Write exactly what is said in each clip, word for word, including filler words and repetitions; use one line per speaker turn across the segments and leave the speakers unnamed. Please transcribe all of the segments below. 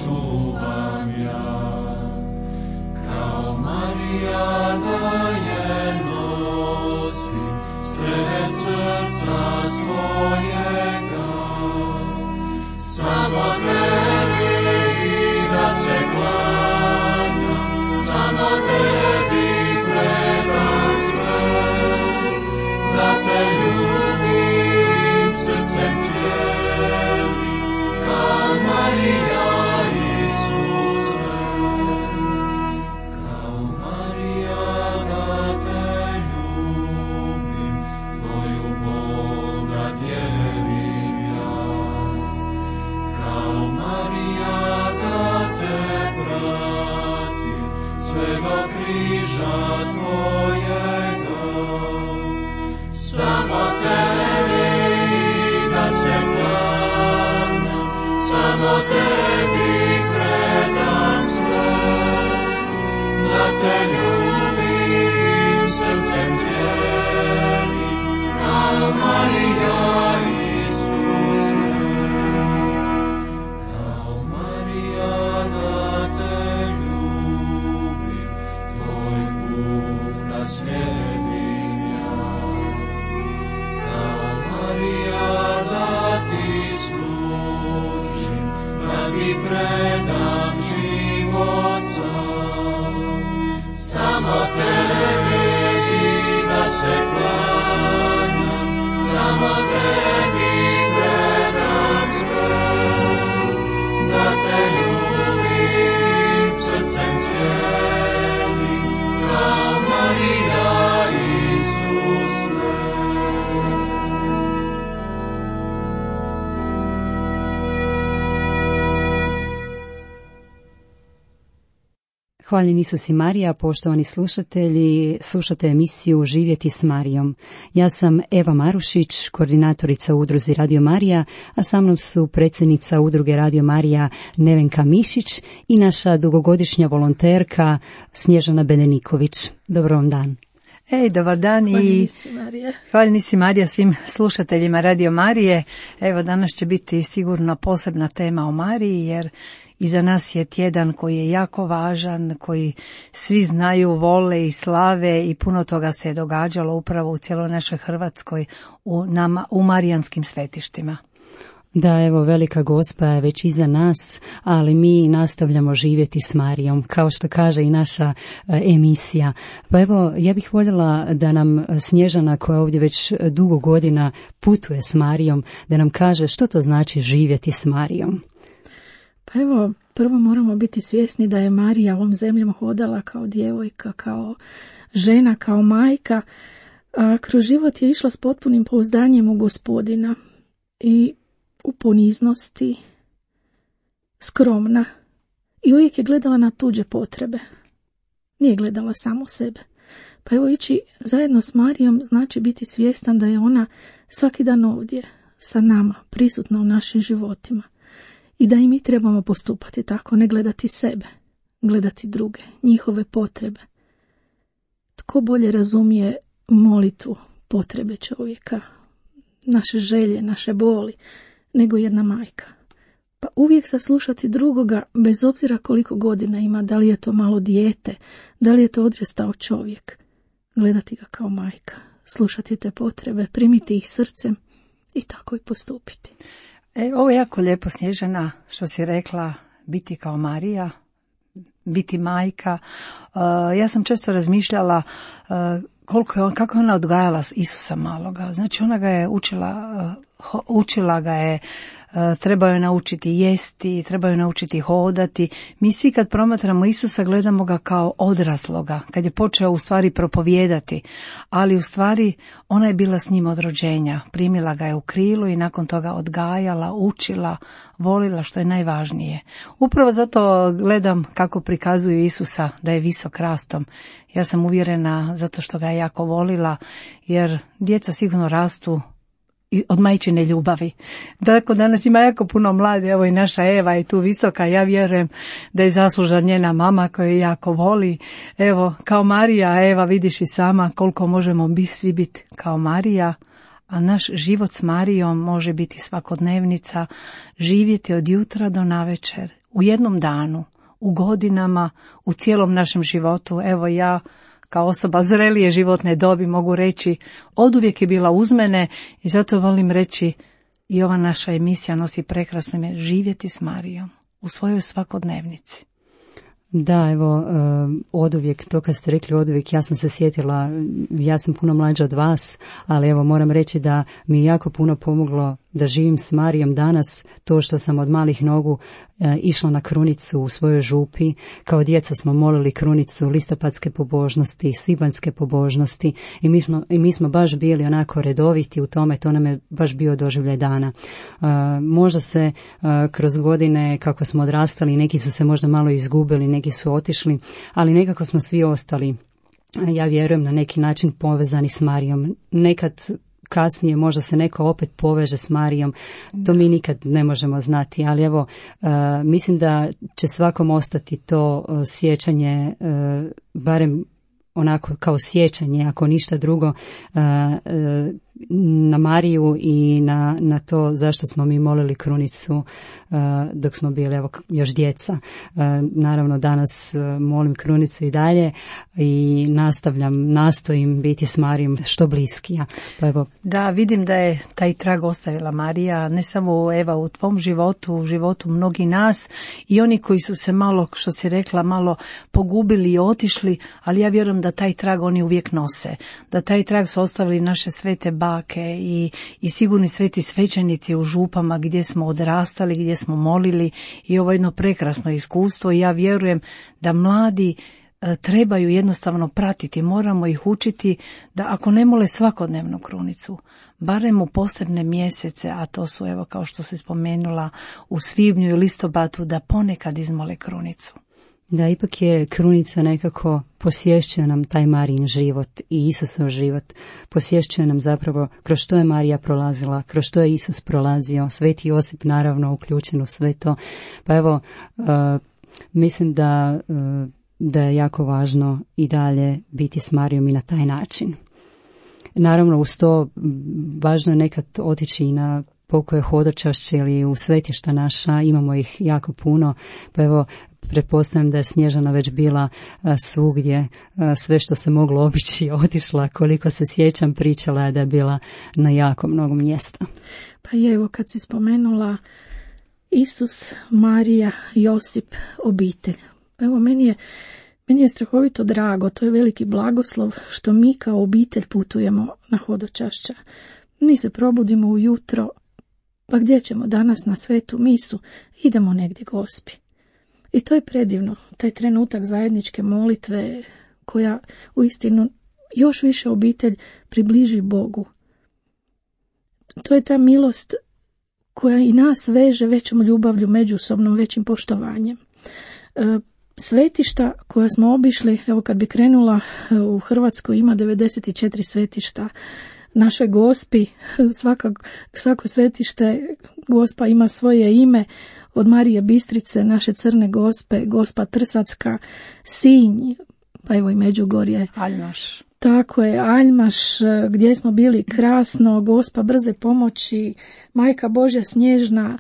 čuvam ja, kao Marija da je nosim sred srca svojega, samo tebi da se klanjam, samo tebi predam sve, da te ljubim srcem cijelim, kao Marija Isuse, kao Marija da te ljubim, tvoju bol da dijelim ja, kao Marija da te pratim, sve do križa tvojega, samo tebi da se klanjam, samo tebi predam sve, da te ljubim srcem cijelim, kao Marija Isuse, kao Marija da te ljubim, tvoj put da slijedim ja, kao Marija da ti služim, da ti predam život sam, samo tebi da se klanjam, samo tebi predam sve, da te ljubim srcem cijelim, kao Marija Isuse.
Hvaljen Isus i Marija, poštovani slušatelji, slušate emisiju Živjeti s Marijom. Ja sam Eva Marušić, koordinatorica u udruzi Radio Marija, a sa mnom su predsjednica udruge Radio Marija Nevenka Mišić i naša dugogodišnja volonterka Snježana Beneniković. Dobar vam dan.
Ej, dobar dan i hvaljeni si Marija svim slušateljima Radio Marije. Evo, danas će biti sigurno posebna tema o Mariji, jer iza nas je tjedan koji je jako važan, koji svi znaju, vole i slave i puno toga se je događalo upravo u cijeloj našoj Hrvatskoj u, nama, u marijanskim svetištima.
Da, evo, velika Gospa je već iza nas, ali mi nastavljamo živjeti s Marijom, kao što kaže i naša e, emisija. Pa evo, ja bih voljela da nam Snježana, koja ovdje već dugo godina putuje s Marijom, da nam kaže što to znači živjeti s Marijom.
Pa evo, prvo moramo biti svjesni da je Marija ovom zemljom hodala kao djevojka, kao žena, kao majka, a kroz život je išla s potpunim pouzdanjem u Gospodina i u poniznosti, skromna i uvijek je gledala na tuđe potrebe. Nije gledala samo sebe. Pa evo, ići zajedno s Marijom znači biti svjestan da je ona svaki dan ovdje sa nama, prisutna u našim životima. I da i mi trebamo postupati tako, ne gledati sebe, gledati druge, njihove potrebe. Tko bolje razumije molitvu, potrebe čovjeka, naše želje, naše boli, nego jedna majka. Pa uvijek saslušati drugoga, bez obzira koliko godina ima, da li je to malo dijete, da li je to odrastao čovjek. Gledati ga kao majka, slušati te potrebe, primiti ih srcem i tako i postupiti.
E, ovo je jako lijepo, Snježana, što si rekla, biti kao Marija, biti majka. Uh, ja sam često razmišljala uh, koliko je on, kako je ona odgajala Isusa maloga. Znači, ona ga je učila, uh, učila ga je, uh, treba je naučiti jesti, treba je naučiti hodati. Mi svi kad promatramo Isusa gledamo ga kao odrasloga, kad je počeo u stvari propovijedati, ali u stvari ona je bila s njim od rođenja, primila ga je u krilu i nakon toga odgajala, učila, volila, što je najvažnije. Upravo zato gledam kako prikazuju Isusa da je visok rastom. Ja sam uvjerena zato što ga je jako volila, jer djeca sigurno rastu od majčine ljubavi. Tako danas ima jako puno mladi, evo i naša Eva je tu visoka, ja vjerujem da je zaslužna njena mama koja je jako voli. Evo, kao Marija, Eva, vidiš i sama koliko možemo biti, svi biti kao Marija, a naš život s Marijom može biti svakodnevnica, živjeti od jutra do navečer u jednom danu, u godinama, u cijelom našem životu. Evo ja kao osoba zrelije životne dobi mogu reći, oduvijek je bila uz mene i zato volim reći i ova naša emisija nosi prekrasno ime živjeti s Marijom u svojoj svakodnevnici.
Da, evo, oduvijek, to kad ste rekli oduvijek, ja sam se sjetila, ja sam puno mlađa od vas, ali evo moram reći da mi je jako puno pomoglo da živim s Marijom danas, to što sam od malih nogu e, išla na krunicu u svojoj župi. Kao djeca smo molili krunicu listopadske pobožnosti, svibanjske pobožnosti i mi smo, i mi smo baš bili onako redoviti u tome, to nam je baš bio doživljaj dana. E, možda se e, kroz godine kako smo odrastali, neki su se možda malo izgubili, neki su otišli, ali nekako smo svi ostali, ja vjerujem, na neki način povezani s Marijom. Nekad kasnije možda se neko opet poveže s Marijom, to mi nikad ne možemo znati, ali evo, uh, mislim da će svakom ostati to uh, sjećanje, uh, barem onako kao sjećanje, ako ništa drugo, uh, uh, na Mariju i na, na to zašto smo mi molili krunicu uh, dok smo bili evo, još djeca. Uh, naravno danas uh, molim krunicu i dalje i nastavljam, nastojim biti s Marijom što bliskija. Pa evo.
Da, vidim da je taj trag ostavila Marija, ne samo Eva u tvom životu, u životu mnogi nas i oni koji su se malo, što si rekla, malo pogubili i otišli, ali ja vjerujem da taj trag oni uvijek nose, da taj trag su ostavili naše svete bake i, i sigurni sveti svećenici u župama gdje smo odrastali, gdje smo molili i ovo jedno prekrasno iskustvo i ja vjerujem da mladi e, trebaju jednostavno pratiti, moramo ih učiti da ako ne mole svakodnevnu krunicu, barem u posebne mjesece, a to su evo kao što se spomenula u svibnju i listopadu, da ponekad izmole krunicu.
Da, ipak je krunica nekako posvješćuje nam taj Marijin život i Isusov život. Posvješćuje nam zapravo kroz što je Marija prolazila, kroz što je Isus prolazio, Sveti Josip naravno uključen u sve to. Pa evo, uh, mislim da, uh, da je jako važno i dalje biti s Marijom i na taj način. Naravno, uz to važno je nekad otići i na pokoje hodočašće ili u svetišta naša, imamo ih jako puno, pa evo, pretpostavljam da je Snježana već bila a, svugdje, a, sve što se moglo obići otišla, koliko se sjećam pričala je da je bila na jako mnogo mjesta.
Pa je, evo kad si spomenula Isus, Marija, Josip, obitelj. Evo meni je, meni je strahovito drago, to je veliki blagoslov što mi kao obitelj putujemo na hodočašća. Mi se probudimo ujutro, pa gdje ćemo danas na svetu misu? Idemo negdje Gospi. I to je predivno, taj trenutak zajedničke molitve koja uistinu još više obitelj približi Bogu. To je ta milost koja i nas veže većom ljubavlju, međusobnom većim poštovanjem. Svetišta koja smo obišli, evo kad bi krenula, u Hrvatskoj ima devedeset četiri svetišta. Našoj Gospi, svaka, svako svetište Gospa ima svoje ime, od Marije Bistrice, naše Crne Gospe, Gospa Trsacka, Sinj, pa evo i Međugorje.
Aljmaš.
Tako je, Aljmaš, gdje smo bili krasno, Gospa Brze pomoći, Majka Božja Snježna.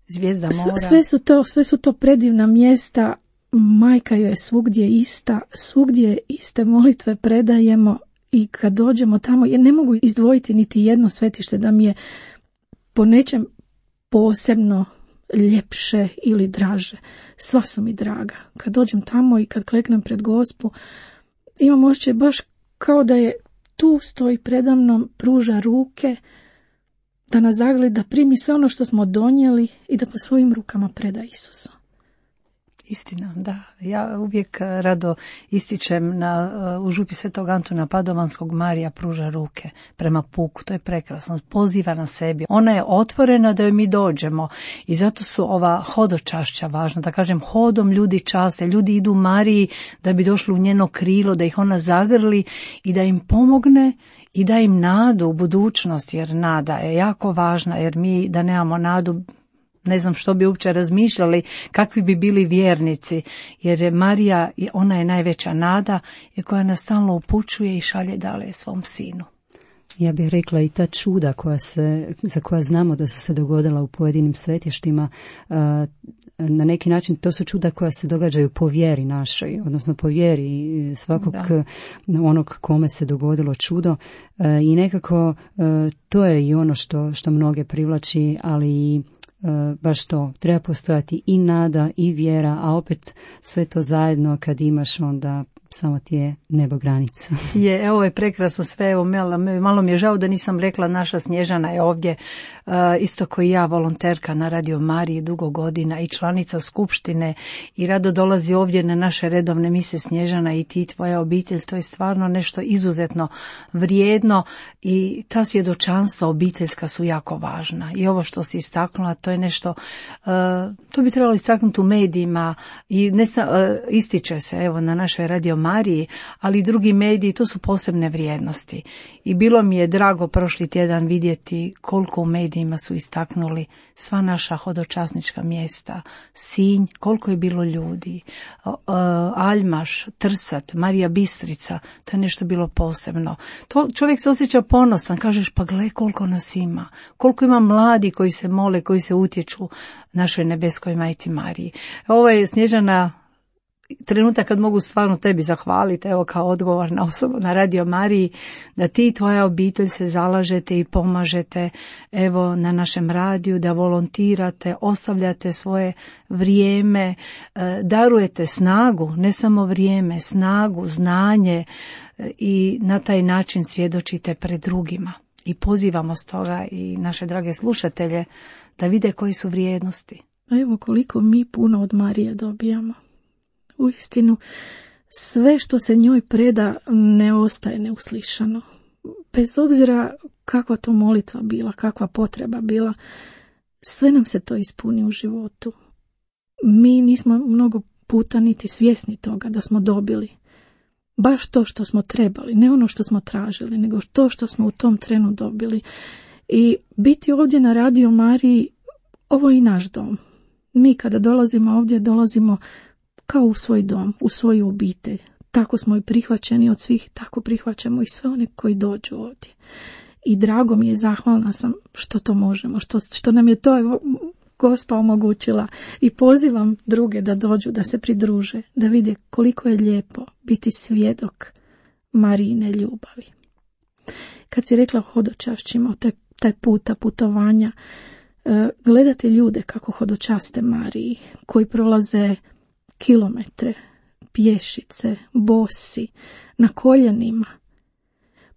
Zvijezda mora.
Sve su to, sve su to predivna mjesta, Majka joj je svugdje ista, svugdje iste molitve predajemo. I kad dođemo tamo, ja ne mogu izdvojiti niti jedno svetište da mi je po nečem posebno ljepše ili draže. Sva su mi draga. Kad dođem tamo i kad kleknem pred Gospu, imam osjećaj baš kao da je tu stoji predamnom, pruža ruke, da nas zagleda, da primi sve ono što smo donijeli i da po svojim rukama preda Isusa.
Istina, da. Ja uvijek rado ističem na, u župi Svetog Antuna Padovanskog, Marija pruža ruke prema puku. To je prekrasno. Poziva na sebi. Ona je otvorena da joj mi dođemo i zato su ova hodočašća važna. Da kažem, hodom ljudi časte. Ljudi idu Mariji da bi došli u njeno krilo, da ih ona zagrli i da im pomogne i da im nadu u budućnost, jer nada je jako važna, jer mi da nemamo nadu, ne znam što bi uopće razmišljali, kakvi bi bili vjernici, jer je Marija, ona je najveća nada i koja nas stalno upućuje i šalje dalje svom sinu.
Ja bih rekla i ta čuda koja se, za koja znamo da su se dogodila u pojedinim svetištima, na neki način to su čuda koja se događaju po vjeri našoj, odnosno po vjeri svakog da. onog kome se dogodilo čudo, i nekako to je i ono što, što mnoge privlači, ali i baš to, treba postojati i nada i vjera, a opet sve to zajedno kad imaš, onda samo ti je nebo granica.
Je, evo je prekrasno sve, evo malo, malo mi je žao da nisam rekla, naša Snježana je ovdje, uh, isto kao i ja, volonterka na Radio Mariji dugo godina i članica skupštine i rado dolazi ovdje na naše redovne mise. Snježana, i ti, tvoja obitelj, to je stvarno nešto izuzetno vrijedno i ta svjedočanstva obiteljska su jako važna. I ovo što si istaknula, to je nešto, uh, to bi trebalo istaknuti u medijima i ne sa, uh, ističe se evo na našoj Radio Mariji, ali i drugi mediji, to su posebne vrijednosti. I bilo mi je drago prošli tjedan vidjeti koliko u medijima su istaknuli sva naša hodočasnička mjesta, Sinj, koliko je bilo ljudi, Aljmaš, Trsat, Marija Bistrica, to je nešto bilo posebno. To čovjek se osjeća ponosan, kažeš pa gle koliko nas ima, koliko ima mladi koji se mole, koji se utječu našoj nebeskoj majci Mariji. Ovo je, Snježana, trenutak kad mogu stvarno tebi zahvaliti, evo kao odgovorna osoba na Radio Mariji, da ti i tvoja obitelj se zalažete i pomažete evo na našem radiju, da volontirate, ostavljate svoje vrijeme, darujete snagu, ne samo vrijeme, snagu, znanje i na taj način svjedočite pred drugima. I pozivamo stoga i naše drage slušatelje da vide koji su vrijednosti.
A evo koliko mi puno od Marije dobijamo. Uistinu, sve što se njoj preda ne ostaje neuslišano. Bez obzira kakva to molitva bila, kakva potreba bila, sve nam se to ispuni u životu. Mi nismo mnogo puta niti svjesni toga da smo dobili baš to što smo trebali, ne ono što smo tražili, nego to što smo u tom trenu dobili. I biti ovdje na Radio Mariji, ovo je i naš dom. Mi kada dolazimo ovdje, dolazimo kao u svoj dom, u svoju obitelj. Tako smo i prihvaćeni od svih, tako prihvaćamo i sve one koji dođu ovdje. I drago mi je, zahvalna sam što to možemo, što, što nam je to Gospa omogućila. I pozivam druge da dođu, da se pridruže, da vide koliko je lijepo biti svjedok Marijine ljubavi. Kad si rekla o hodočašćima, taj, taj puta, putovanja, gledate ljude kako hodočaste Mariji, koji prolaze kilometre, pješice, bosi, na koljenima,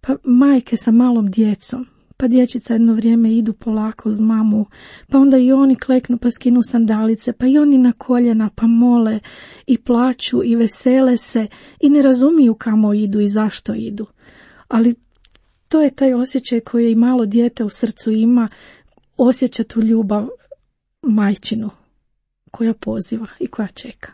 pa majke sa malom djecom, pa dječica jedno vrijeme idu polako uz mamu, pa onda i oni kleknu pa skinu sandalice, pa i oni na koljena pa mole i plaću i vesele se i ne razumiju kamo idu i zašto idu. Ali to je taj osjećaj koji i malo dijete u srcu ima, osjeća tu ljubav majčinu koja poziva i koja čeka.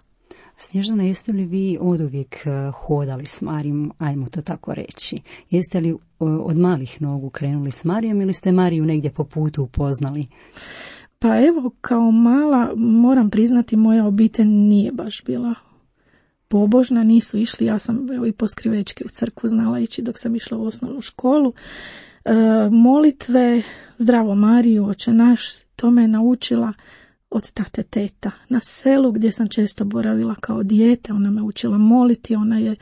Snježana, jeste li vi oduvijek hodali s Marijom, ajmo to tako reći? Jeste li od malih nogu krenuli s Marijom ili ste Mariju negdje po putu upoznali?
Pa evo, kao mala, moram priznati, moja obitelj nije baš bila pobožna, nisu išli, ja sam evo, i po skrivečki u crkvu znala ići dok sam išla u osnovnu školu. E, molitve, Zdravo Mariju, Oče naš, to me je naučila od tate teta na selu gdje sam često boravila kao dijete. Ona me učila moliti, ona je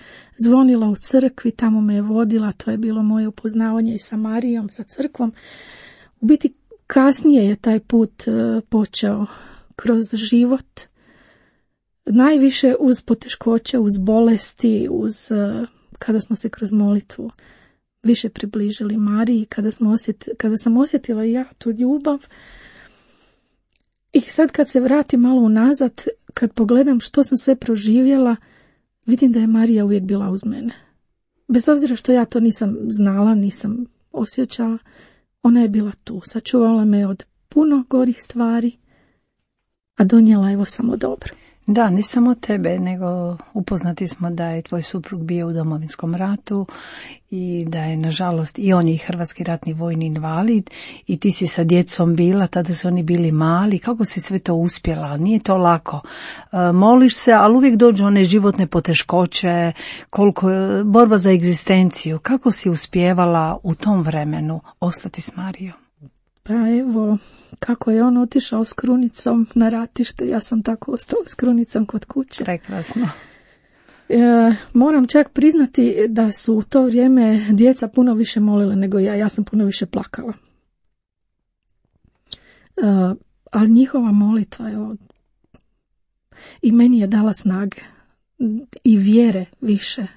zvonila u crkvi, tamo me je vodila, to je bilo moje upoznavanje i sa Marijom, sa crkvom. U biti kasnije je taj put uh, počeo kroz život, najviše uz poteškoće, uz bolesti, uz uh, kada smo se kroz molitvu više približili Mariji, kada, smo osjet, kada sam osjetila ja tu ljubav. I sad kad se vratim malo unazad, kad pogledam što sam sve proživjela, vidim da je Marija uvijek bila uz mene. Bez obzira što ja to nisam znala, nisam osjećala, ona je bila tu. Sačuvala me od puno gorih stvari, a donijela evo samo dobro.
Da, ne samo tebe, nego upoznati smo da je tvoj suprug bio u Domovinskom ratu i da je, nažalost, i on je hrvatski ratni vojni invalid i ti si sa djecom bila, tada su oni bili mali. Kako si sve to uspjela? Nije to lako. E, moliš se, ali uvijek dođu one životne poteškoće, koliko borba za egzistenciju. Kako si uspijevala u tom vremenu ostati s Marijom?
Pa evo, kako je on otišao s krunicom na ratište, ja sam tako ostala s krunicom kod kuće.
Prekrasno.
E, moram čak priznati da su u to vrijeme djeca puno više molile nego ja, ja sam puno više plakala. E, ali njihova molitva je od... i meni je dala snage i vjere više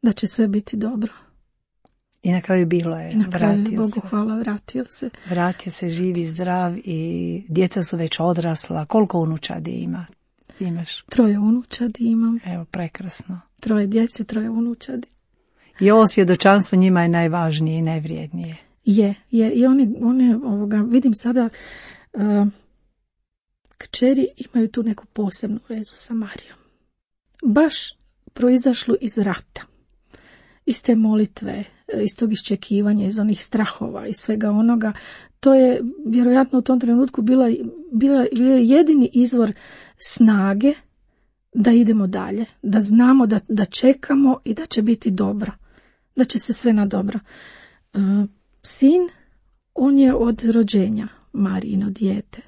da će sve biti dobro.
I na kraju bilo je.
I na kraju,
vratio
Bogu
se.
hvala, vratio se.
Vratio se živi, zdrav i djeca su već odrasla. Koliko unučadi ima? Imaš?
Troje unučadi imam.
Evo, prekrasno.
Troje djece, troje unučadi.
I ovo svjedočanstvo njima je najvažnije i najvrijednije.
Je, je. I oni, oni ovoga, vidim sada, uh, kćeri imaju tu neku posebnu vezu sa Marijom. Baš proizašlu iz rata. Iz te molitve, iz tog iščekivanja, iz onih strahova i svega onoga. To je vjerojatno u tom trenutku bila, bila, bila jedini izvor snage da idemo dalje, da znamo da, da čekamo i da će biti dobro, da će se sve na dobro. Uh, sin, on je od rođenja Marijino dijete.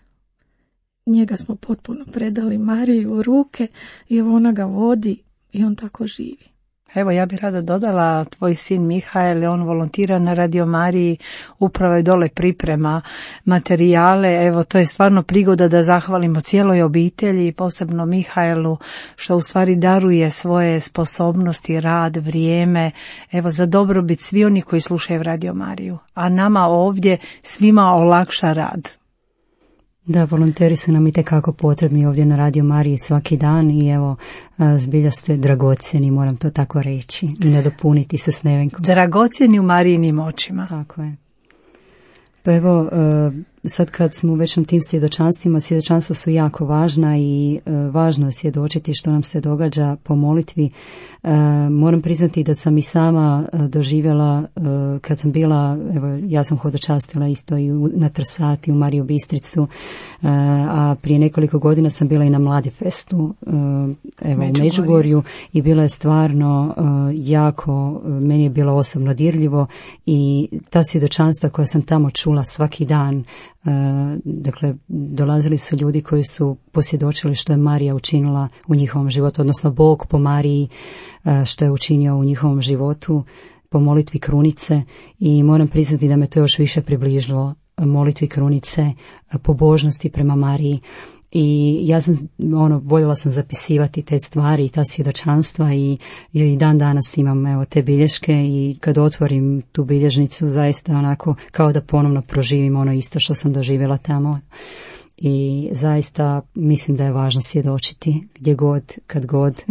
Njega smo potpuno predali Mariji u ruke i ona ga vodi i on tako živi.
Evo, ja bih rado dodala, tvoj sin Mihael, on volontira na Radio Mariji, upravo je dole priprema materijale. Evo, to je stvarno prigoda da zahvalimo cijeloj obitelji, posebno Mihaelu, što u stvari daruje svoje sposobnosti, rad, vrijeme, evo, za dobrobit svi oni koji slušaju Radio Mariju. A nama ovdje svima olakša rad.
Da, volonteri su nam itekako potrebni ovdje na Radio Mariji svaki dan i evo, zbilja ste dragocjeni, moram to tako reći i nadopuniti se s Nevenkom.
Dragocjeni u Marijinim očima.
Tako je. Pa evo, sad kad smo u već na tim svjedočanstvima, svjedočanstva su jako važna i važno je svjedočiti što nam se događa po molitvi. Moram priznati da sam i sama doživjela, kad sam bila, evo, ja sam hodočastila isto i na Trsati, u Mariju Bistricu, a prije nekoliko godina sam bila i na Mladifestu, evo, u Međugorju, i bilo je stvarno jako, meni je bilo osobno dirljivo i ta svjedočanstva koja sam tamo čula svaki dan, dakle, dolazili su ljudi koji su posvjedočili što je Marija učinila u njihovom životu, odnosno Bog po Mariji što je učinio u njihovom životu po molitvi krunice, i moram priznati da me to još više približilo molitvi krunice, pobožnosti prema Mariji. I ja sam, ono, voljela sam zapisivati te stvari i ta svjedočanstva i, i dan danas imam, evo, te bilješke, i kad otvorim tu bilježnicu zaista onako kao da ponovno proživim ono isto što sam doživjela tamo. I zaista mislim da je važno svjedočiti gdje god, kad god,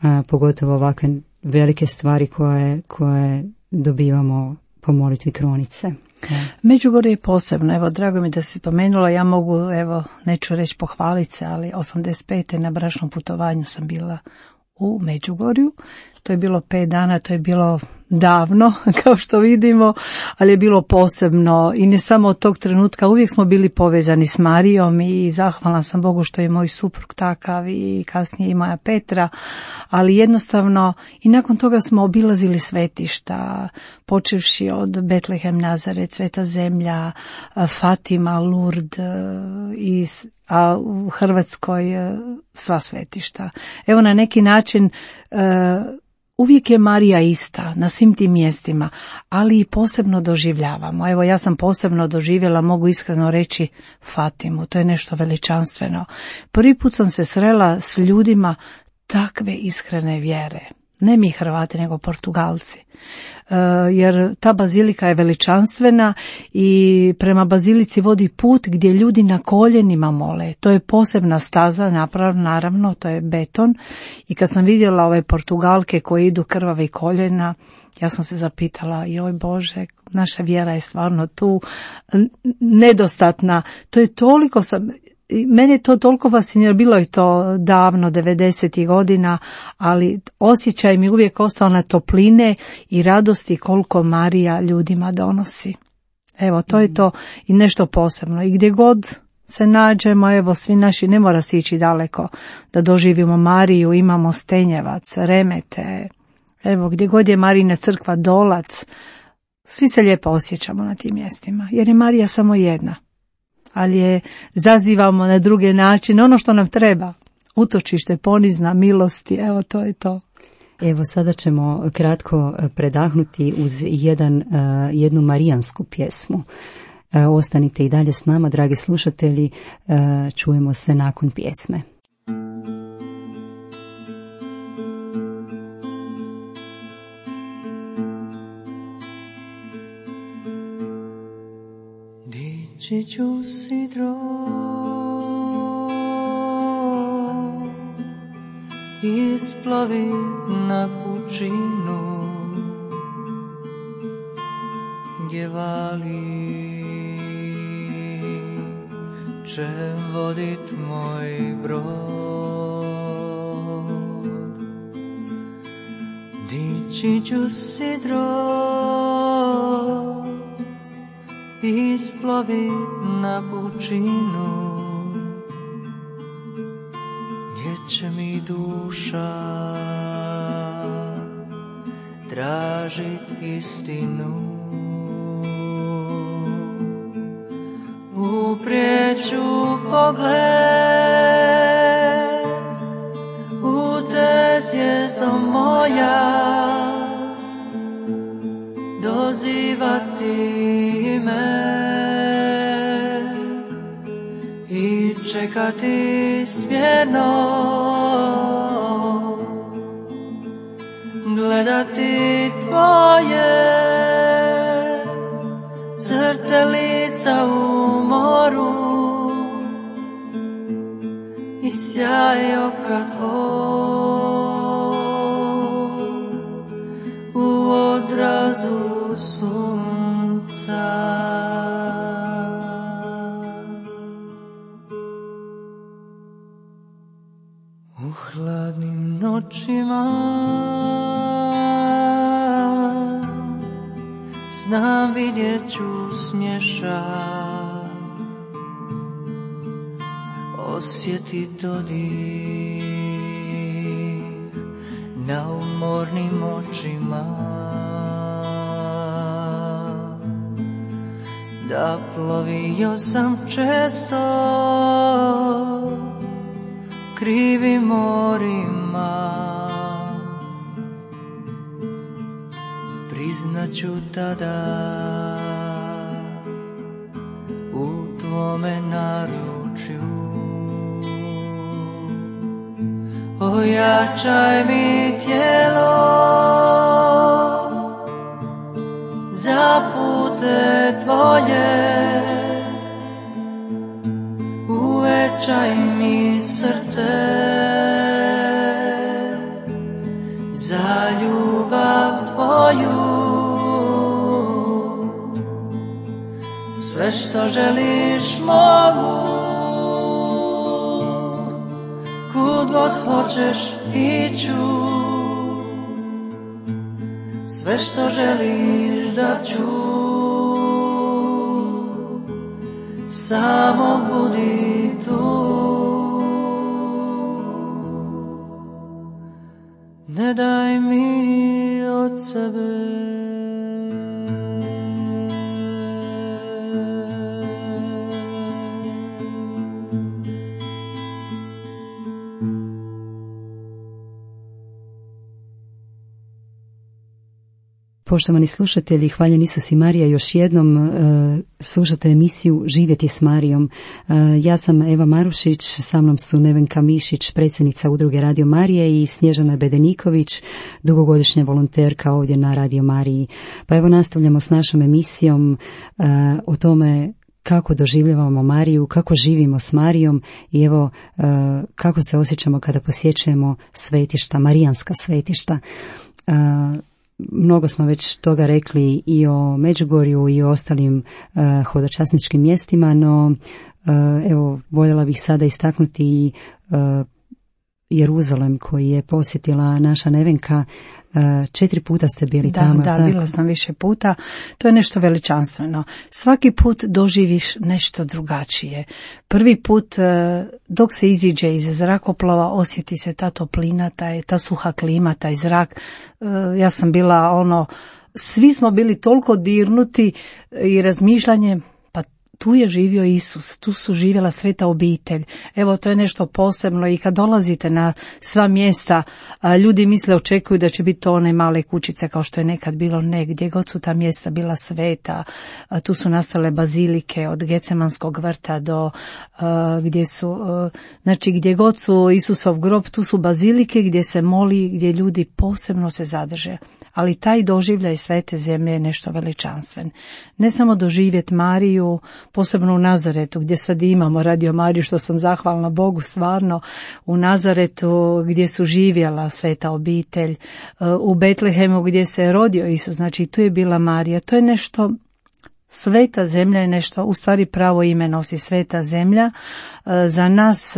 a, pogotovo ovakve velike stvari koje, koje dobivamo po molitvi krunice.
Međugorje je posebno, evo, drago mi da si spomenula, ja mogu, evo, neću reći pohvaliti se, ali osamdeset pete na bračnom putovanju sam bila u Međugorju. To je bilo pet dana, to je bilo davno, kao što vidimo, ali je bilo posebno i ne samo od tog trenutka, uvijek smo bili povezani s Marijom i zahvalna sam Bogu što je moj suprug takav i kasnije i moja Petra, ali jednostavno i nakon toga smo obilazili svetišta, počevši od Betlehem, Nazaret, Sveta zemlja, Fatima, Lourdes, i a u Hrvatskoj sva svetišta. Evo, na neki način uvijek je Marija ista na svim tim mjestima, ali i posebno doživljavamo. Evo, ja sam posebno doživjela, mogu iskreno reći, Fatimu. To je nešto veličanstveno. Prvi put sam se srela s ljudima takve iskrene vjere. Ne mi Hrvati, nego Portugalci. Uh, jer ta bazilika je veličanstvena i prema bazilici vodi put gdje ljudi na koljenima mole. To je posebna staza, napravno, naravno, to je beton. I kad sam vidjela ove Portugalke koje idu krvave koljena, ja sam se zapitala, joj Bože, naša vjera je stvarno tu nedostatna. To je toliko sam... mene to toliko fascinira, bilo je to davno, devedesetih godina, ali osjećaj mi uvijek ostao na topline i radosti koliko Marija ljudima donosi. Evo, to je to i nešto posebno. I gdje god se nađemo, evo, svi naši, ne mora se ići daleko da doživimo Mariju, imamo Stenjevac, Remete, evo, gdje god je Marijina crkva, Dolac, svi se lijepo osjećamo na tim mjestima, jer je Marija samo jedna, ali je zazivamo na druge načine, ono što nam treba, utočište, ponizna, milosti, evo, to je to.
Evo, sada ćemo kratko predahnuti uz jedan, jednu marijansku pjesmu. Ostanite i dalje s nama, dragi slušatelji, čujemo se nakon pjesme.
Dići ću sidro isplavi na pučinu gdje vali će vodit moj brod. Dići ću sidro isplavi na pučinu gdje će mi duša tražit istinu. Uprijeću pogled u te zvijezdo moja, dozivati me i čekati smjerno, gledati tvoje zrtelica u moru i sjaj oka tvoj u odrazu sunca. U hladnim noćima znam vidjet ću smješak, osjetit dodir na umornim očima, da plovio sam često krivim morima, priznaću tada u tvome naručju. Ojačaj mi tijelo za pute tvoje, uvećaj mi srce za ljubav tvoju. Sve što želiš mogu, kud god hoćeš iću. Sve što želiš da ću, samo budi tu. Ne daj mi od sebe.
Poštovani slušatelji, hvaljen Isus i Marija, još jednom uh, slušate emisiju Živjeti s Marijom. Uh, ja sam Eva Marušić, sa mnom su Nevenka Mišić, predsjednica Udruge Radio Marije, i Snježana Bedeniković, dugogodišnja volonterka ovdje na Radio Mariji. Pa evo, nastavljamo s našom emisijom uh, o tome kako doživljavamo Mariju, kako živimo s Marijom i evo uh, kako se osjećamo kada posjećujemo svetišta, marijanska svetišta. Uh, Mnogo smo već toga rekli i o Međugorju i o ostalim uh, hodočasničkim mjestima, no uh, Evo, voljela bih sada istaknuti i Jeruzalem koji je posjetila naša Nevenka. Četiri puta ste bili
da,
tamo.
Da,
tako?
bila sam više puta. To je nešto veličanstveno. Svaki put doživiš nešto drugačije. Prvi put dok se iziđe iz zrakoplova osjeti se ta toplina, taj, ta suha klima, taj zrak. Ja sam bila ono, svi smo bili toliko dirnuti i razmišljanje, tu je živio Isus, tu su živjela sveta obitelj. Evo, to je nešto posebno i kad dolazite na sva mjesta, ljudi misle, očekuju da će biti to one male kućice kao što je nekad bilo, negdje god su ta mjesta bila sveta. Tu su nastale bazilike od Gecemanskog vrta do gdje su, znači gdje god su Isusov grob, tu su bazilike gdje se moli, gdje ljudi posebno se zadrže. Ali taj doživljaj svete zemlje je nešto veličanstven. Ne samo doživjeti Mariju, posebno u Nazaretu, gdje sad imamo Radio Mariju, što sam zahvalna Bogu stvarno, u Nazaretu gdje su živjela sveta obitelj, u Betlehemu gdje se je rodio Isus, znači tu je bila Marija. To je nešto, sveta zemlja je nešto, u stvari pravo ime nosi sveta zemlja. Za nas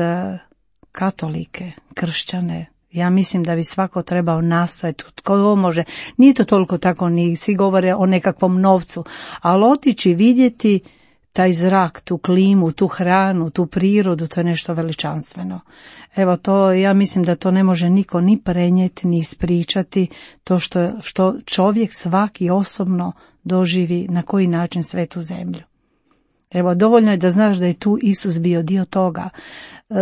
katolike, kršćane, ja mislim da bi svako trebao nastojati, tko može, nije to toliko tako, ni svi govore o nekakvom novcu, ali otići vidjeti taj zrak, tu klimu, tu hranu, tu prirodu, to je nešto veličanstveno. Evo to, ja mislim da to ne može niko ni prenijeti, ni ispričati, to što, što čovjek svaki osobno doživi na koji način svetu zemlju. Evo, dovoljno je da znaš da je tu Isus bio dio toga. E,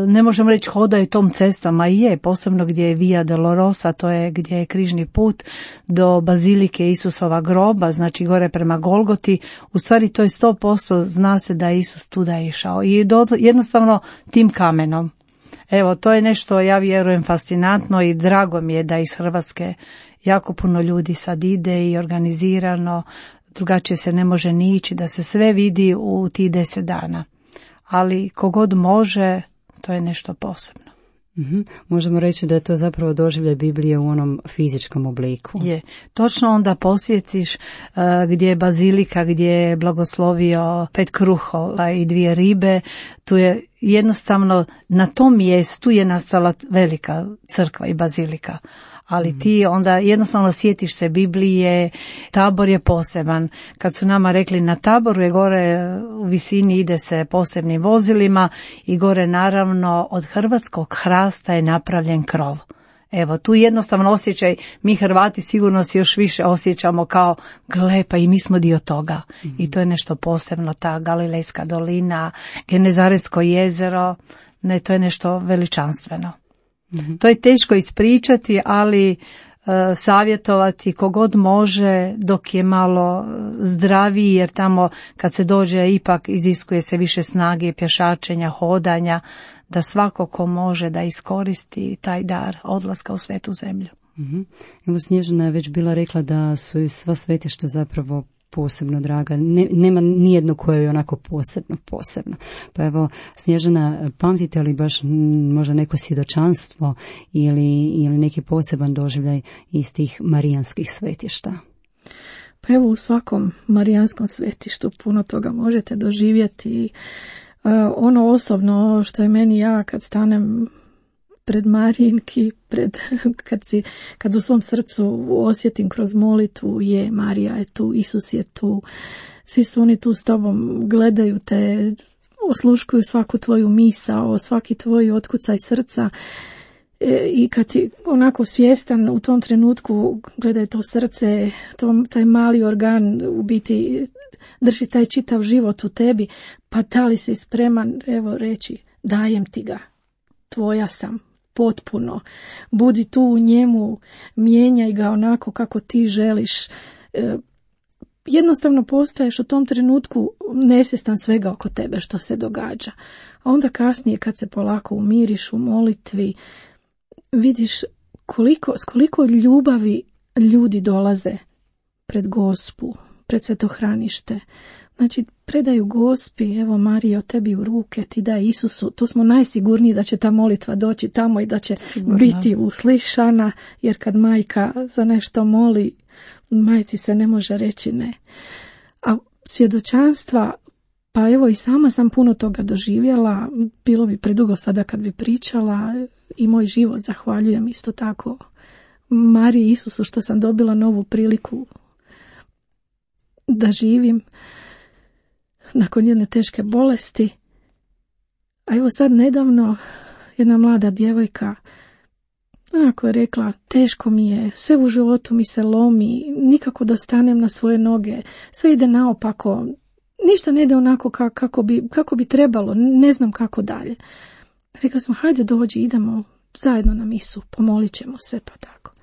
ne možemo reći hoda je tom cestama, i je, posebno gdje je Via Dolorosa, to je gdje je križni put do bazilike Isusova groba, znači gore prema Golgoti. U stvari to je sto posto, zna se da je Isus tuda išao i do, jednostavno tim kamenom. Evo, to je nešto, ja vjerujem, fascinantno i drago mi je da iz Hrvatske jako puno ljudi sad ide i organizirano, drugačije se ne može ni ići, da se sve vidi u tih deset dana. Ali kogod može, to je nešto posebno.
Mm-hmm. Možemo reći da je to zapravo doživljaj Biblije u onom fizičkom obliku.
Je. Točno onda posjetiš uh, gdje je bazilika, gdje je blagoslovio pet kruhova i dvije ribe. Tu je jednostavno, na tom mjestu je nastala velika crkva i bazilika. Ali ti onda jednostavno sjetiš se Biblije, Tabor je poseban. Kad su nama rekli na Taboru je gore u visini ide se posebnim vozilima i gore naravno od hrvatskog hrasta je napravljen krov. Evo, tu jednostavno osjećaj, mi Hrvati sigurno se još više osjećamo kao, gle, pa i mi smo dio toga. Mm-hmm. I to je nešto posebno, ta Galilejska dolina, Genezaretsko jezero, ne, to je nešto veličanstveno. Mm-hmm. To je teško ispričati, ali uh, savjetovati kogod može dok je malo zdraviji, jer tamo kad se dođe ipak iziskuje se više snage, pješačenja, hodanja, da svako ko može da iskoristi taj dar odlaska u svetu zemlju.
Mm-hmm. Evo, Snježana je već bila rekla da su sva svetišta zapravo posebno draga. Ne, nema nijedno koje je onako posebno, posebno. Pa evo, Snježana, pamtite li baš možda neko svjedočanstvo ili, ili neki poseban doživljaj iz tih marijanskih svetišta?
Pa evo, u svakom marijanskom svetištu puno toga možete doživjeti. Uh, ono osobno što je meni, ja kad stanem pred Marijinki, pred, kad, si, kad u svom srcu osjetim kroz molitvu, je, Marija je tu, Isus je tu, svi su oni tu s tobom, gledaju te, osluškuju svaku tvoju misao, svaki tvoj otkucaj srca. E, I kad si onako svjestan u tom trenutku, gledaj to srce, to, taj mali organ u biti drži taj čitav život u tebi, pa da li si spreman, evo, reći, dajem ti ga, tvoja sam, potpuno, budi tu u njemu, mijenjaj ga onako kako ti želiš. E, jednostavno postaješ u tom trenutku nesvjestan svega oko tebe što se događa. A onda kasnije kad se polako umiriš u molitvi, vidiš koliko, s koliko ljubavi ljudi dolaze pred Gospu, pred svetohranište. Znači, predaju Gospi, evo Marijo, tebi u ruke, ti daj Isusu. Tu smo najsigurniji da će ta molitva doći tamo i da će Sigurno. biti uslišana, jer kad majka za nešto moli, majci se ne može reći ne. A svjedočanstva Pa evo i sama sam puno toga doživjela, bilo bi predugo sada kad bi pričala i moj život zahvaljujem isto tako Mariji i Isusu što sam dobila novu priliku da živim nakon jedne teške bolesti. A evo sad nedavno jedna mlada djevojka onako je rekla, teško mi je, sve u životu mi se lomi, nikako da stanem na svoje noge, sve ide naopako, ništa ne ide onako kako bi, kako bi trebalo, ne znam kako dalje. Rekla sam, hajde dođi, idemo zajedno na misu, pomolit ćemo se, pa tako.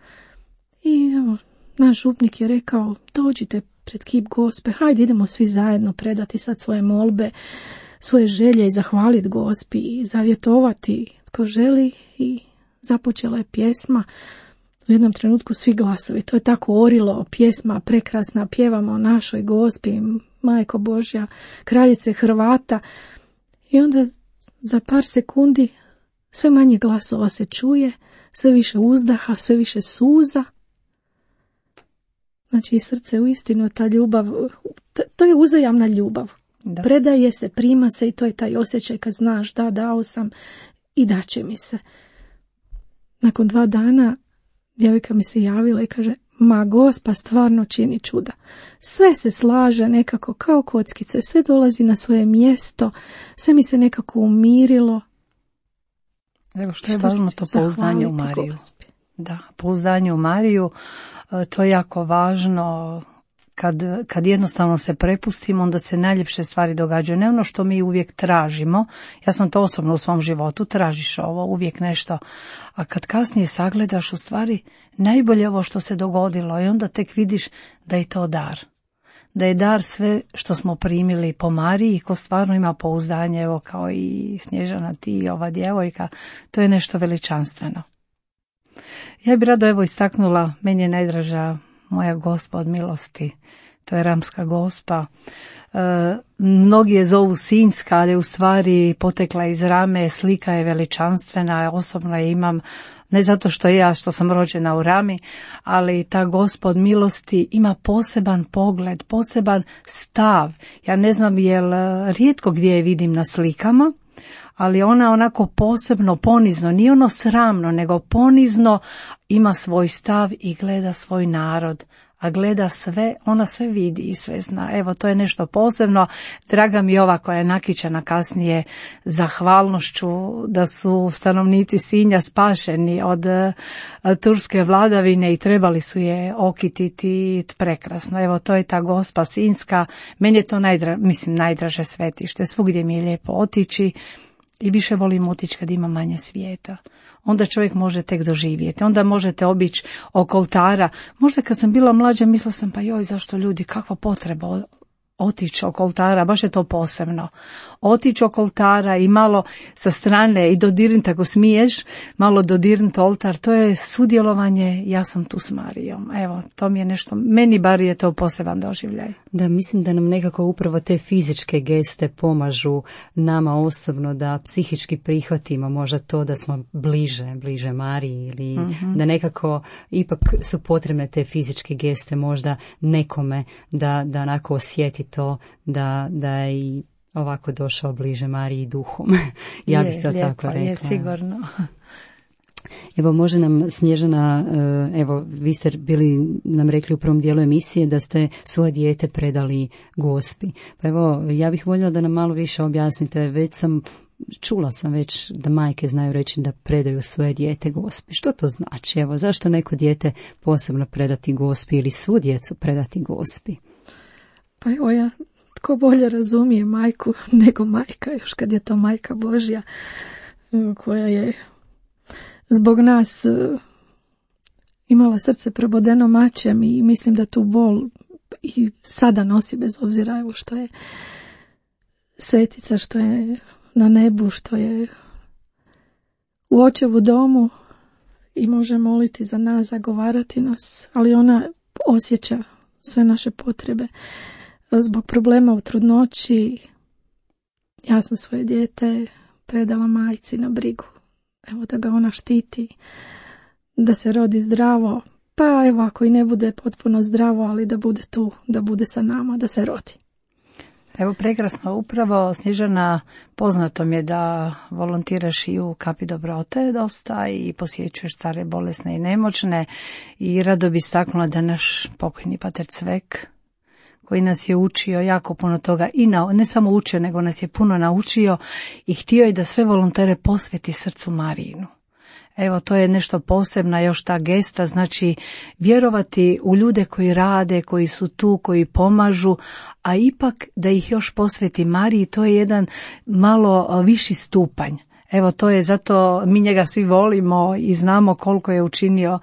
I evo, naš župnik je rekao, dođite pred kip Gospe, hajde idemo svi zajedno predati sad svoje molbe, svoje želje i zahvaliti Gospi i zavjetovati tko želi. I započela je pjesma. U jednom trenutku svi glasovi, to je tako orilo, pjesma prekrasna, pjevamo o našoj Gospi, Majko Božja, kraljice Hrvata. I onda za par sekundi sve manje glasova se čuje, sve više uzdaha, sve više suza. Znači i srce uistinu, ta ljubav, to je uzajamna ljubav. Da. Predaje se, prima se i to je taj osjećaj kad znaš da dao sam i daće mi se. Nakon dva dana djevojka mi se javila i kaže, ma Gospa stvarno čini čuda. Sve se slaže nekako kao kockice, sve dolazi na svoje mjesto, sve mi se nekako umirilo.
Evo što je važno to pouzdanje u Mariju. Da, pouzdanje u Mariju, to je jako važno. Kad, kad jednostavno se prepustimo, onda se najljepše stvari događaju. Ne ono što mi uvijek tražimo. Ja sam to osobno u svom životu, tražiš ovo, uvijek nešto. A kad kasnije sagledaš u stvari najbolje ovo što se dogodilo i onda tek vidiš da je to dar. Da je dar sve što smo primili po Mariji, ko stvarno ima pouzdanje, evo kao i Snježana, ti i ova djevojka, to je nešto veličanstveno. Ja bih rado evo istaknula, meni je najdraža moja Gospa od milosti, to je Ramska Gospa. E, mnogi je zovu Sinjska, ali u stvari potekla iz Rame, slika je veličanstvena, osobno je imam, ne zato što ja što sam rođena u Rami, ali ta Gospa od milosti ima poseban pogled, poseban stav. Ja ne znam jel rijetko gdje je vidim na slikama, ali ona onako posebno ponizno, nije ono sramno, nego ponizno ima svoj stav i gleda svoj narod, a gleda sve, ona sve vidi i sve zna. Evo, to je nešto posebno. Draga mi je ova koja je nakićena kasnije zahvalnošću da su stanovnici Sinja spašeni od uh, turske vladavine i trebali su je okititi prekrasno. Evo, to je ta Gospa Sinjska. Meni je to najdra, mislim, najdraže svetište. Svugdje mi je lijepo otići. I više volim otići kad ima manje svijeta. Onda čovjek može tek doživjeti. Onda možete obići oko oltara. Možda kad sam bila mlađa mislila sam pa joj zašto ljudi, kakva potreba otići oko oltara, baš je to posebno. Otići oko oltara i malo sa strane i dodirnuti ako smiješ, malo dodirnuti oltar, to je sudjelovanje, ja sam tu s Marijom. Evo, to mi je nešto, meni bar je to poseban doživljaj.
Da, mislim da nam nekako upravo te fizičke geste pomažu nama osobno da psihički prihvatimo možda to da smo bliže, bliže Mariji ili mm-hmm. da nekako ipak su potrebne te fizičke geste možda nekome da, da onako osjeti to da, da je i ovako došao bliže Mariji duhom. Ja bih to
lijepo,
tako rekla.
Je, sigurno.
Evo, može nam Snježana, evo, vi ste bili nam rekli u prvom dijelu emisije da ste svoje dijete predali Gospi. Pa evo, ja bih voljela da nam malo više objasnite, već sam čula sam već da majke znaju reći da predaju svoje dijete Gospi. Što to znači? Evo, zašto neko dijete posebno predati Gospi ili svu djecu predati Gospi?
Pa evo ja, tko bolje razumije majku nego majka, još kad je to majka Božja koja je zbog nas imala srce probodeno mačem i mislim da tu bol i sada nosi bez obzira evo što je svetica, što je na nebu, što je u očevu domu i može moliti za nas, zagovarati nas, ali ona osjeća sve naše potrebe. Zbog problema u trudnoći ja sam svoje dijete predala majci na brigu. Evo da ga ona štiti, da se rodi zdravo, pa evo ako i ne bude potpuno zdravo, ali da bude tu, da bude sa nama, da se rodi.
Evo, prekrasno, upravo Snježana, poznato mi je da volontiraš i u Kapi dobrote dosta i posjećuješ stare, bolesne i nemoćne, i rado bi istaknula da naš pokojni pater Cvek, koji nas je učio jako puno toga, i na, ne samo učio, nego nas je puno naučio i htio je da sve volontere posveti srcu Marijinu. Evo, to je nešto posebna još ta gesta, znači vjerovati u ljude koji rade, koji su tu, koji pomažu, a ipak da ih još posveti Mariji, to je jedan malo viši stupanj. Evo, to je zato mi njega svi volimo i znamo koliko je učinio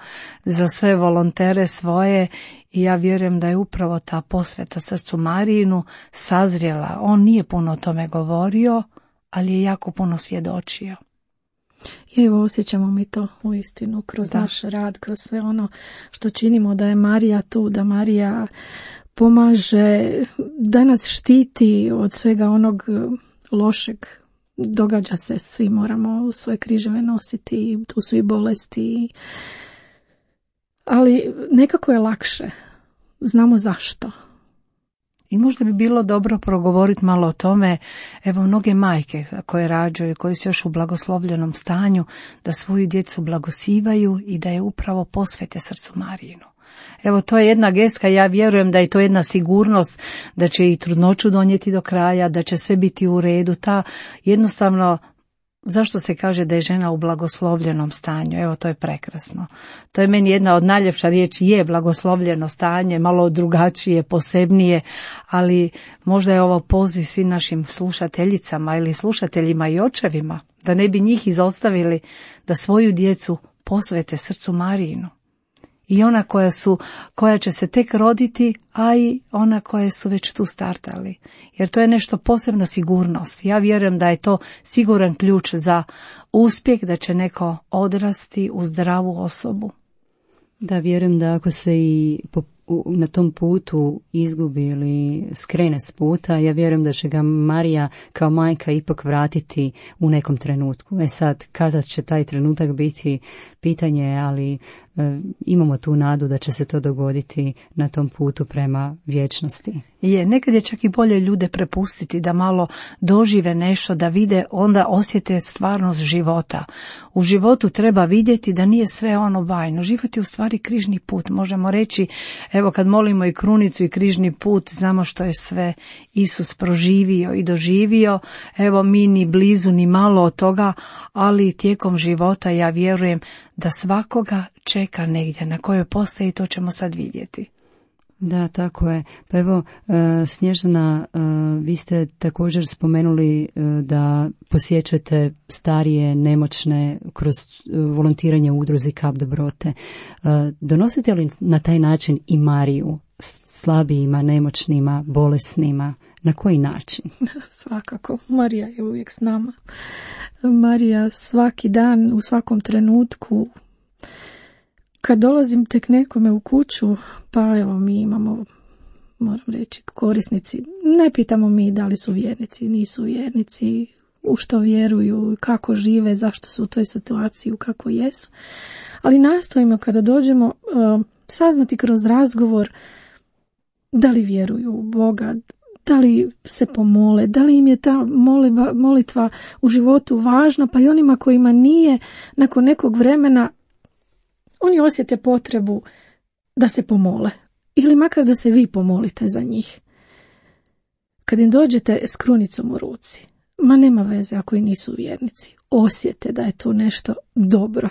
za sve volontere svoje, i ja vjerujem da je upravo ta posveta srcu Marijinu sazrijela. On nije puno o tome govorio, ali je jako puno svjedočio.
I evo, osjećamo mi to u istinu kroz da. naš rad, kroz sve ono što činimo, da je Marija tu, da Marija pomaže, da nas štiti od svega onog lošeg. Događa se, svi moramo svoje križeve nositi, tu su i bolesti, ali nekako je lakše, znamo zašto.
I možda bi bilo dobro progovoriti malo o tome, evo, mnoge majke koje rađaju, koje su još u blagoslovljenom stanju, da svoju djecu blagosivaju i da je upravo posvete srcu Marijinu. Evo, to je jedna geska, ja vjerujem da je to jedna sigurnost da će i trudnoću donijeti do kraja, da će sve biti u redu. Ta jednostavno, zašto se kaže da je žena u blagoslovljenom stanju? Evo, to je prekrasno. To je meni jedna od najljepša riječi, je blagoslovljeno stanje, malo drugačije, posebnije, ali možda je ovo poziv svim našim slušateljicama ili slušateljima i očevima, da ne bi njih izostavili, da svoju djecu posvete srcu Marijinu. I ona koja su, koja će se tek roditi, a i ona koje su već tu startali. Jer to je nešto posebna sigurnost. Ja vjerujem da je to siguran ključ za uspjeh, da će neko odrasti u zdravu osobu.
Da, vjerujem da ako se i po, u, na tom putu izgubi ili skrene s puta, ja vjerujem da će ga Marija kao majka ipak vratiti u nekom trenutku. E sad, kada će taj trenutak biti, pitanje je, ali e, imamo tu nadu da će se to dogoditi na tom putu prema vječnosti.
Je, nekad je čak i bolje ljude prepustiti da malo dožive nešto, da vide, onda osjete stvarnost života. U životu treba vidjeti da nije sve ono bajno. Život je u stvari križni put. Možemo reći, evo, kad molimo i krunicu i križni put, znamo što je sve Isus proživio i doživio. Evo, mi ni blizu ni malo od toga, ali tijekom života ja vjerujem da svakoga čeka negdje na kojoj postaji, to ćemo sad vidjeti.
Da, tako je. Pa evo, Snježana, vi ste također spomenuli da posjećate starije, nemoćne kroz volontiranje u udruzi Kap dobrote. Donosite li na taj način i Mariju slabijima, nemoćnima, bolesnima? Na koji način?
Svakako. Marija je uvijek s nama. Marija svaki dan, u svakom trenutku. Kad dolazim tek nekome u kuću, pa evo, mi imamo, moram reći, korisnici, ne pitamo mi da li su vjernici, nisu vjernici, u što vjeruju, kako žive, zašto su u toj situaciji, u kako jesu. Ali nastojimo kada dođemo uh, saznati kroz razgovor da li vjeruju u Boga, da li se pomole, da li im je ta molitva, molitva u životu važna, pa i onima kojima nije, nakon nekog vremena oni osjete potrebu da se pomole. Ili makar da se vi pomolite za njih. Kad im dođete s krunicom u ruci, ma nema veze ako i nisu vjernici, osjete da je tu nešto dobro.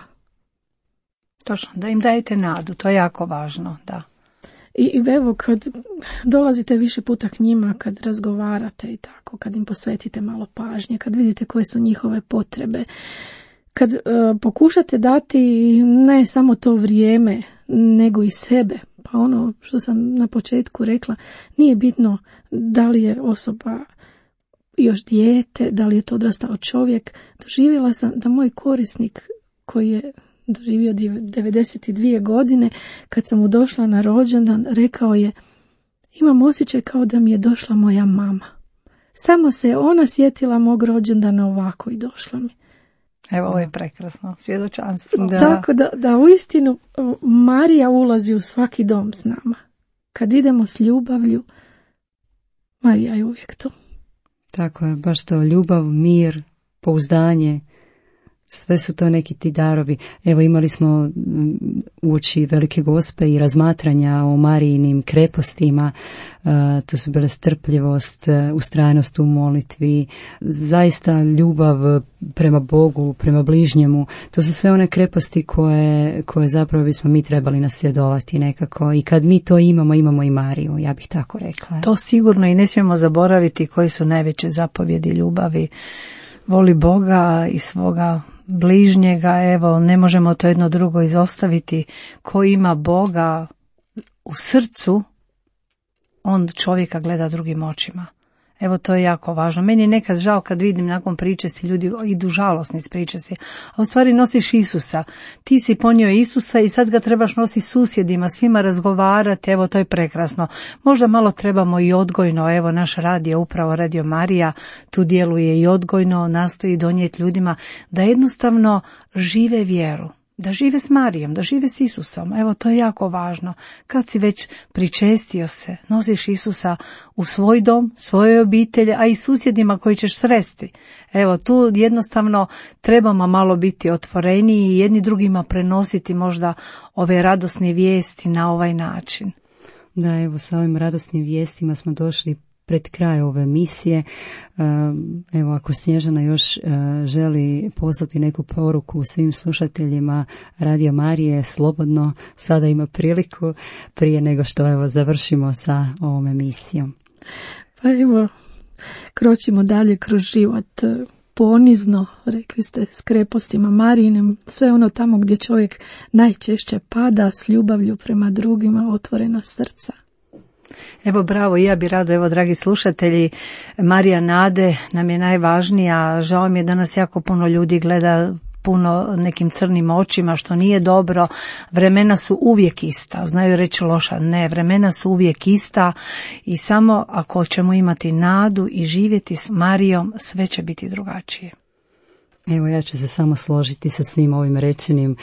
Točno, da im dajete nadu, to je jako važno, da.
I evo, kad dolazite više puta k njima, kad razgovarate i tako, kad im posvetite malo pažnje, kad vidite koje su njihove potrebe, kad uh, pokušate dati ne samo to vrijeme, nego i sebe, pa ono što sam na početku rekla, nije bitno da li je osoba još dijete, da li je to odrastao čovjek. Doživjela sam da moj korisnik koji je doživio devedeset dvije godine, kad sam mu došla na rođendan, rekao je: imam osjećaj kao da mi je došla moja mama. Samo se ona sjetila mog rođendana ovako i došla mi.
Evo, ovo je prekrasno svjedočanstvo.
Da. Tako da, da uistinu Marija ulazi u svaki dom s nama. Kad idemo s ljubavlju, Marija je uvijek tu.
Tako je, baš to, ljubav, mir, pouzdanje, sve su to neki ti darovi. Evo, imali smo uoči Velike Gospe i razmatranja o Marijinim krepostima, uh, to su bile strpljivost, uh, ustrajnost u molitvi, zaista ljubav prema Bogu, prema bližnjemu. To su sve one kreposti koje, koje zapravo bismo mi trebali nasljedovati nekako. I kad mi to imamo, imamo i Mariju, ja bih tako rekla.
To sigurno, i ne smijemo zaboraviti koji su najveće zapovjedi ljubavi. Voli Boga i svoga bližnjega, evo, ne možemo to jedno drugo izostaviti. Ko ima Boga u srcu, on čovjeka gleda drugim očima. Evo, to je jako važno. Meni je nekad žao kad vidim nakon pričesti, ljudi idu žalosni s pričesti, a u stvari nosiš Isusa. Ti si ponio Isusa i sad ga trebaš nositi susjedima, svima razgovarati, evo, to je prekrasno. Možda malo trebamo i odgojno, evo, naš radio, upravo Radio Marija, tu djeluje i odgojno, nastoji donijeti ljudima da jednostavno žive vjeru. Da žive s Marijom, da žive s Isusom. Evo, to je jako važno. Kad si već pričestio se, nosiš Isusa u svoj dom, svojoj obitelji, a i susjedima koji ćeš sresti. Evo, tu jednostavno trebamo malo biti otvoreniji i jedni drugima prenositi možda ove radosne vijesti na ovaj način.
Da, evo, sa ovim radosnim vijestima smo došli pred kraj ove emisije. Evo, ako Snježana još želi poslati neku poruku svim slušateljima Radio Marije, slobodno sada ima priliku prije nego što evo završimo sa ovom emisijom.
Pa evo, kročimo dalje kroz život ponizno, rekli ste, s krepostima Marijinim, sve ono tamo gdje čovjek najčešće pada, s ljubavlju prema drugima, otvorena srca.
Evo, bravo, ja bi rado, evo, dragi slušatelji, Marija nade nam je najvažnija. Žao mi je da nas jako puno ljudi gleda puno nekim crnim očima, što nije dobro. Vremena su uvijek ista, znaju reći loša, ne, vremena su uvijek ista i samo ako ćemo imati nadu i živjeti s Marijom, sve će biti drugačije.
Evo, ja ću se samo složiti sa svim ovim rečenim,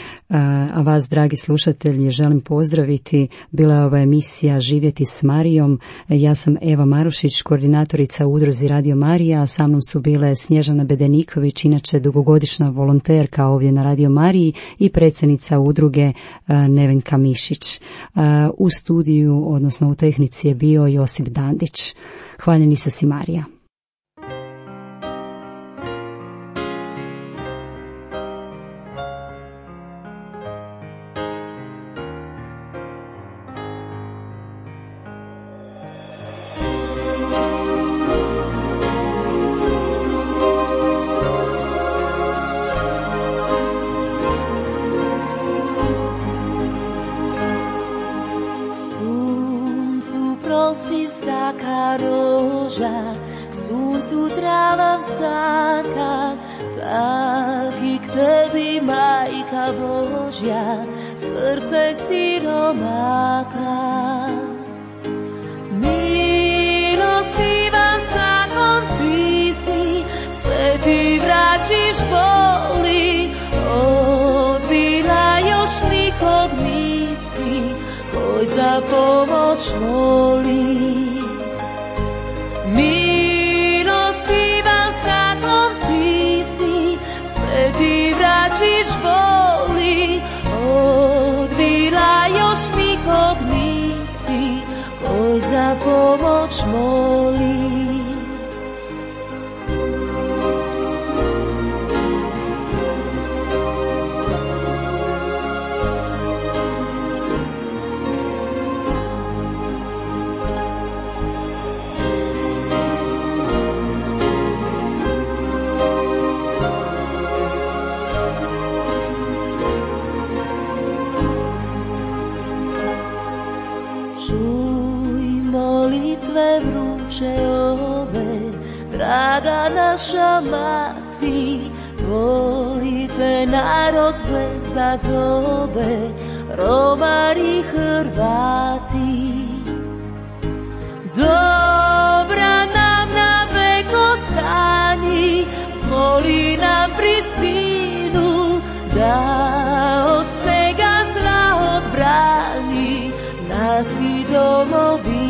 a vas, dragi slušatelji, želim pozdraviti. Bila je ova emisija Živjeti s Marijom. Ja sam Eva Marušić, koordinatorica u udruzi Radio Marija, a sa mnom su bile Snježana Bedeniković, inače dugogodišnja volonterka ovdje na Radio Mariji, i predsjednica udruge Nevenka Mišić. U studiju, odnosno u tehnici, je bio Josip Dandić. Hvaljeni se si, Marija.
Srce siromaka, milostivan zakon ti si, sve ti vraćiš boli, odbila još nikog nisi, koji za pomoć moli. Milostivan zakon ti si, sve ti vraćiš boli, odbila još nikog nisi, koji za pomoć moli. Ove, draga naša mati, tvoj te narod plesna zove, Romari, Hrvati. Dobra nam na vek ostani, smoli nam pri sinu, da od svega zla odbrani nas i domovinu.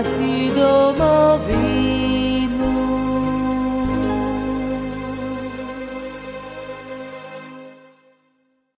si doma.